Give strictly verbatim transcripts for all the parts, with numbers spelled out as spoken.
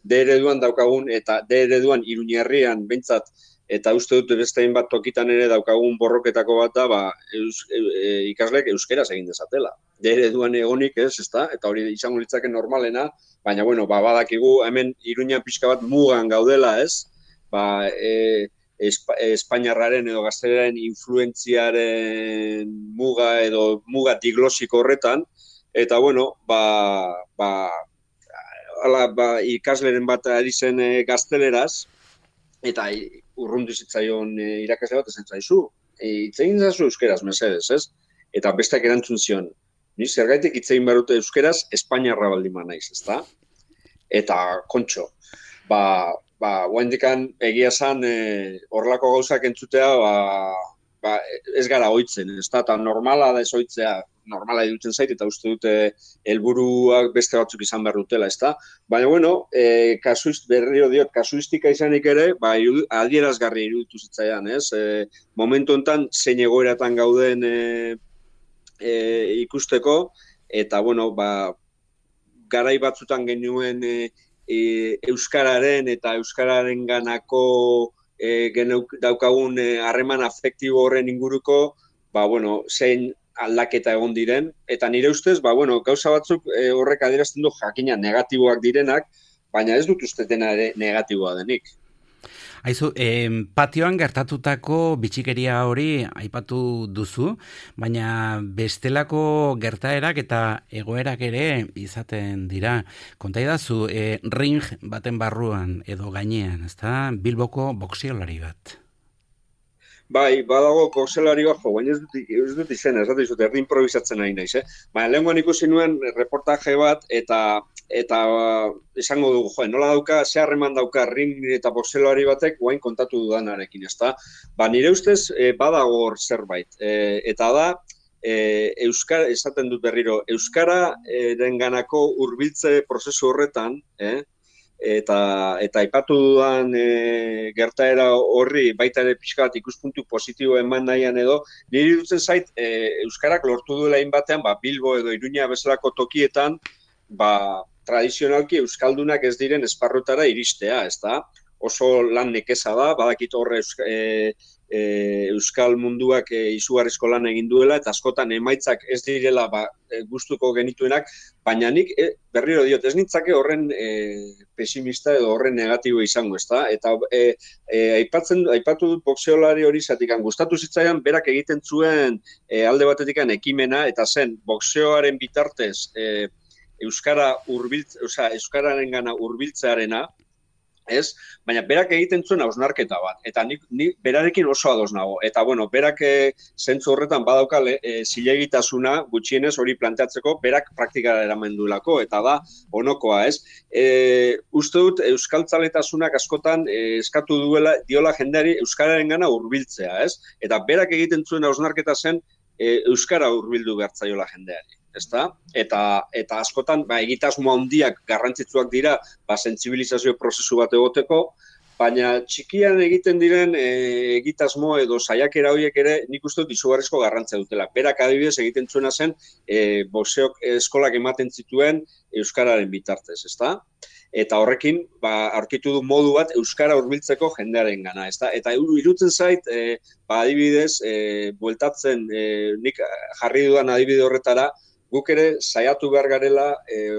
D ereduan daukagun, eta D ereduan Iruñerrian behintzat, eta uste dut beste hainbat tokitan ere daukagun borroketako bat da, ba, eus, e, e, ikasleek euskeraz egin dezatela. D ereduan egonik ez, ezta? Eta hori izango litzake normalena, baina bueno, ba, badakigu hemen Iruñan pixka bat mugan gaudela, ez? Ba, e, Espa, Espainiarraren edo gaztelaren influentziaren muga edo muga diglosiko horretan, eta bueno, ba, ba, ala, ba ikasleren bat ari zen e, gazteleraz, eta urrundu zitzaion e, irakasle bat esan zaizu, hitz egin zazu euskeraz, mesedez, ez? Eta besteak erantzun zion, ni zergaitik hitz egin barute euskeraz, Espainiarra baldin naiz, ezta? Eta kontxo, ba, ba, guaindikan egia zan horrelako e, gauzak entzutea, ba, ba, ez gara ohitzen, ezta? Eta normala da ez ohitzea, normala iruditzen zait, eta uste dute helburuak beste batzuk izan behar dutela, ezta? Baina, bueno, e, kasuist, berriro diot, kasuistika izanik ere, ba, adierazgarri iruditu zitzaidan, ez? E, momentu honetan, zein egoeratan gauden e, e, ikusteko, eta, bueno, ba, garai batzutan genuen e, e, euskararen eta euskararen ganako e, geneuk, daukagun harreman e, afektibo horren inguruko, ba, bueno, zein aldaketa egon diren, eta nire ustez, ba, bueno, gauza batzuk e, horrek adierazten du jakina negatiboak direnak, baina ez dut uste dena ere negatiboa denik. Aizu, eh, patioan gertatutako bitxikeria hori aipatu duzu, baina bestelako gertaerak eta egoerak ere izaten dira. Kontaidazu, eh, ring baten barruan edo gainean, ezta? Bilboko boxiolari bat. Bai, badago boxeolari bat, jo, baina ez dut, ez dut izena, ez dut izut, erdi improvisatzen nahi naiz, eh? Baina lehenguan ikusi nuen reportaje bat, eta eta esango dugu, jo, nola dauka, ze harreman dauka ring eta boxeolari batek, guain kontatu dudanarekin, ezta? Ba, nire ustez, e, badago hor zerbait, e, eta da, e, Euskara, esaten dut berriro, Euskara denganako hurbiltze prozesu horretan, eh? eta eta aipatu dudan e, gertaera horri baita ere pixka bat ikuspuntu positibo eman nahian edo, niri dutzen zait e, Euskarak lortu duela hainbatean, ba, Bilbo edo Iruña bezalako tokietan, ba, tradizionalki Euskaldunak ez diren esparrutara iristea, ezta? Oso lan nekeza da, badakit horre Euska, e, e, Euskal munduak e, izugarrizko lan egin duela, eta askotan emaitzak ez direla ba, e, gustuko genituenak, baina nik e, berriro diot, ez nintzake horren e, pesimista edo horren negatibo izango, ezta? Eta e, e, aipatzen, aipatu dut boxeolari hori zatikan, gustatu zitzaidan berak egiten zuen e, alde batetikan ekimena, eta zen boxeoaren bitartez e, Euskara hurbiltz, osea, Euskararengana hurbiltzearena, ez? Baina berak egiten zuen hausnarketa bat, eta nik, nik berarekin oso ados nago. Eta, bueno, berak e, zentzu horretan badauka e, zilegitasuna gutxienez hori planteatzeko, berak praktikara eraman duelako, eta da onokoa, ez? E, uste dut, euskaltzaletasunak askotan e, eskatu duela, diola jendeari euskararengana hurbiltzea, ez? Eta berak egiten zuen hausnarketa zen e, euskara hurbildu behartzaiola jendeari. Ezta? Eta, eta askotan ba, egitasmo handiak garrantzitsuak dira ba, sentsibilizazio prozesu bat egoteko, baina txikian egiten diren e, egitasmo edo saiakera horiek ere nik uste dut izugarrizko garrantzia dutela. Berak adibidez egiten zuena zen e, boxeok eskolak ematen zituen euskararen bitartez, ezta? Eta horrekin ba, aurkitu du modu bat euskara hurbiltzeko jendearen gana, ezta? Eta irutzen zait, e, ba, adibidez, e, bueltatzen, e, nik jarri dudan adibide horretara, guk ere saiatu behar garela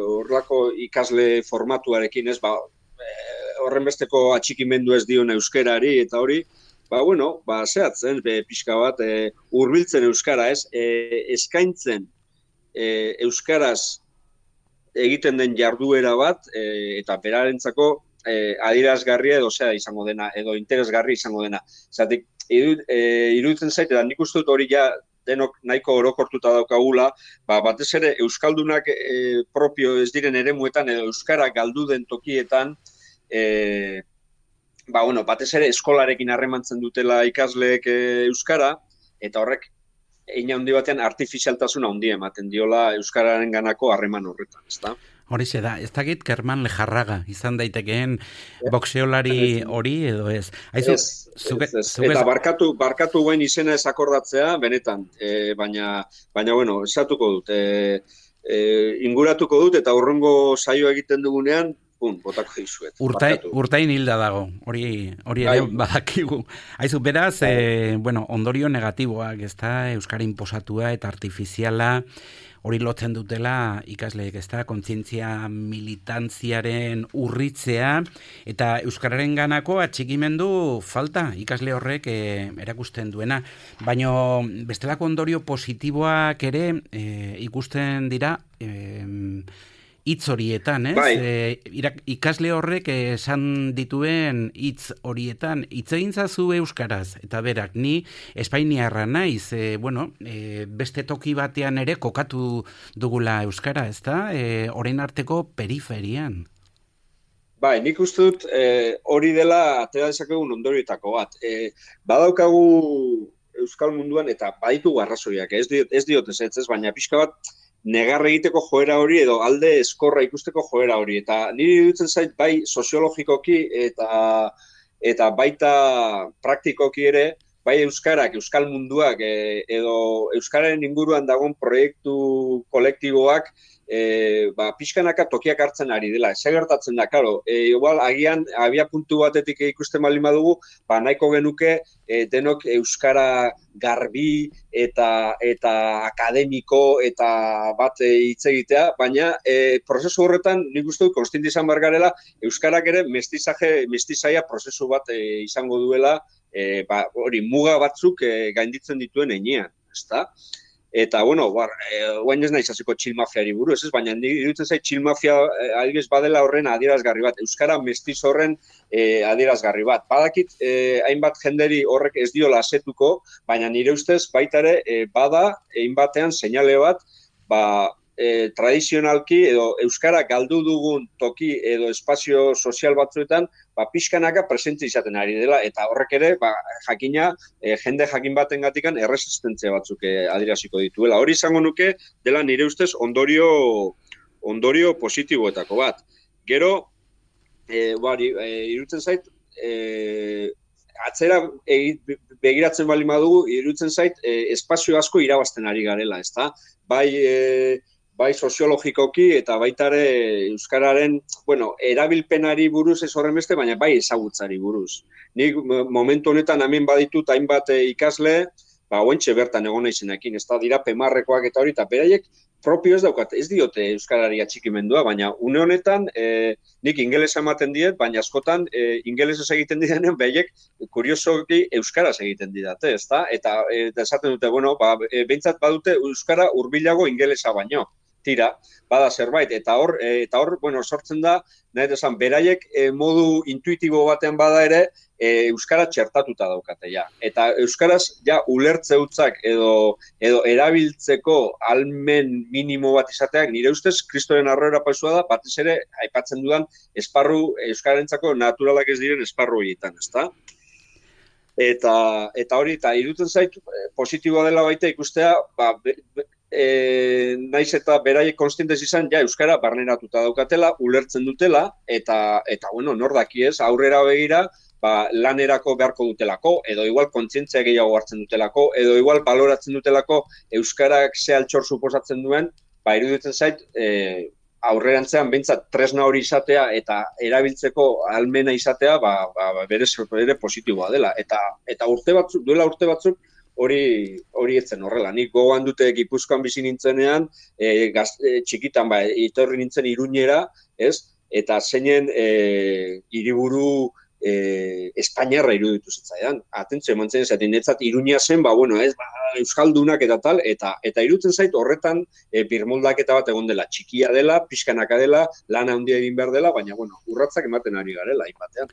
horrelako e, ikasle formatuarekin, ez, ba, e, horren besteko atxikimendu ez dion euskerari, eta hori, ba, bueno, ba, zehatzen, be, pixka bat, e, hurbiltzen euskara, ez, e, eskaintzen e, euskaraz egiten den jarduera bat, e, eta berarentzako e, adierazgarria edo zea izango dena, edo interesgarri izango dena. Zatik, iru, e, iruditzen zait, eta nik uste dut hori ja, denok nahiko orokortuta daukagula, ba, batez ere Euskaldunak e, propio ez diren eremuetan edo Euskara galdu den tokietan, e, ba, bueno, batez ere eskolarekin harremantzen dutela ikasleek e, Euskara, eta horrek hein handi batean artifizialtasuna handia ematen diola Euskararen ganako harreman horretan, ezta? Horixe da, ez dakit Kerman Lejarraga izan daitekeen boxeolari hori edo ez. Aizu, ez, zuke, ez, ez. Zuke... Eta barkatu, barkatu guen izena ez akordatzea, benetan, e, baina, baina, bueno, esatuko dut. E, e, inguratuko dut eta hurrengo saio egiten dugunean, pun, botako dizuet. Urtai, urtain hilda dago, hori hori ere badakigu. Haizu, beraz, e, bueno, ondorio negatiboak, ez da, euskara inposatua eta artifiziala, hori lotzen dutela ikasleek, ez da, kontzientzia militantziaren urritzea, eta euskararen ganako atxikimendu falta ikasle horrek e, erakusten duena. Baina bestelako ondorio positiboak ere e, ikusten dira e, hitz horietan, ez? Bai. E, ikasle horrek esan dituen hitz horietan, hitz egin zazu euskaraz, eta berak, ni espainiarra naiz, e, bueno, e, beste toki batean ere kokatu dugula euskara, ez da? E, orain arteko periferian. Bai, nik uste dut e, hori dela atera dezakegun ondorioetako bat. E, badaukagu euskal munduan, eta baditu arrazoiak, ez diot ez, diot ez, ez, baina pixka bat, negar egiteko joera hori edo alde eskorra ikusteko joera hori. Eta niri dutzen zait bai soziologikoki eta eta baita praktikoki ere, bai euskarak, euskal munduak edo euskararen inguruan dagoen proiektu kolektiboak e, ba, pixkanaka tokiak hartzen ari dela. Ez gertatzen da, karo, e, igual agian abia puntu batetik ikusten baldin badugu, ba, nahiko genuke e, denok euskara garbi eta eta akademiko eta bat hitz egitea, baina e, prozesu horretan nik uste dut konstiente izan behar garela, euskarak ere mestizaje, mestizaia prozesu bat e, izango duela, e, ba, hori muga batzuk e, gainditzen dituen heinean, ezta? Eta, bueno, bar, e, guain ez nahiz hasiko txil mafiari buruz, ez? Baina iruditzen zait txil mafia e, adibidez badela horren adierazgarri bat, euskara mestiz horren e, adierazgarri bat. Badakit, e, hainbat jenderi horrek ez diola asetuko, baina nire ustez baita ere e, bada, hainbatean seinale bat, ba, e, tradizionalki edo euskara galdu dugun toki edo espazio sozial batzuetan, ba, pixkanaka presentzi izaten ari dela, eta horrek ere, ba, jakina, e, jende jakin baten gatikan erresistentzia batzuk e, adieraziko dituela. Hori izango nuke, dela nire ustez ondorio, ondorio positiboetako bat. Gero, e, bari, e, irutzen zait, e, atzera e, begiratzen bali madugu, irutzen zait, e, espazio asko irabazten ari garela, ezta? Bai, e, bai soziologikoki eta baita ere euskararen, bueno, erabilpenari buruz ez horren beste, baina bai ezagutzari buruz. Nik momentu honetan hemen baditut hainbat ikasle, ba, oentxe bertan egon naizenekin, ez da, dira pemarrekoak eta hori, eta beraiek propio ez daukat, ez diote euskarari atxikimendua, baina une honetan e, nik ingelesa ematen diet, baina askotan e, ingelesez egiten didenean, beraiek kuriosoki euskaraz egiten didate, ez da? Eta, eta esaten dute, bueno, ba, e, behintzat badute euskara hurbilago ingelesa baino. Tira, bada zerbait, eta hor, eta hor, bueno, sortzen da, nahi esan, beraiek e, modu intuitibo batean bada ere, e, euskara txertatuta daukate, ja. Eta euskaraz, ja, ulertze hutzak edo, edo erabiltzeko almen minimo bat izateak, nire ustez, kristoren arroera pausua da, batez ere, aipatzen dudan, esparru, euskarentzako naturalak ez diren esparru horietan, ezta? Eta, eta hori, eta irutzen zait, positiboa dela baita ikustea, ba, be, be, E, naiz eta beraiek konstientez izan, ja, euskara barneratuta daukatela, ulertzen dutela, eta, eta bueno, nor daki ez, aurrera begira, ba, lanerako beharko dutelako, edo igual kontzientzia gehiago hartzen dutelako, edo igual baloratzen dutelako euskarak ze altxor suposatzen duen, ba, iruditzen zait, e, aurrerantzean behintzat tresna hori izatea eta erabiltzeko almena izatea, ba, ba, berez ere positiboa dela. Eta, eta urte batzuk, duela urte batzuk, hori hori etzen horrela. Nik gogoan dute Gipuzkoan bizi nintzenean, e, gaz, e, txikitan ba, etorri nintzen Iruñera, ez? Eta zeinen e, hiriburu e, Espainiarra iruditu zitzaidan. Atentzio eman zen, zaten netzat Iruña zen, ba, bueno, ez, ba, euskaldunak eta tal, eta eta irutzen zait horretan e, birmoldaketa bat egon dela, txikia dela, pixkanaka dela, lana handia egin behar dela, baina, bueno, urratzak ematen ari garela, hainbatean.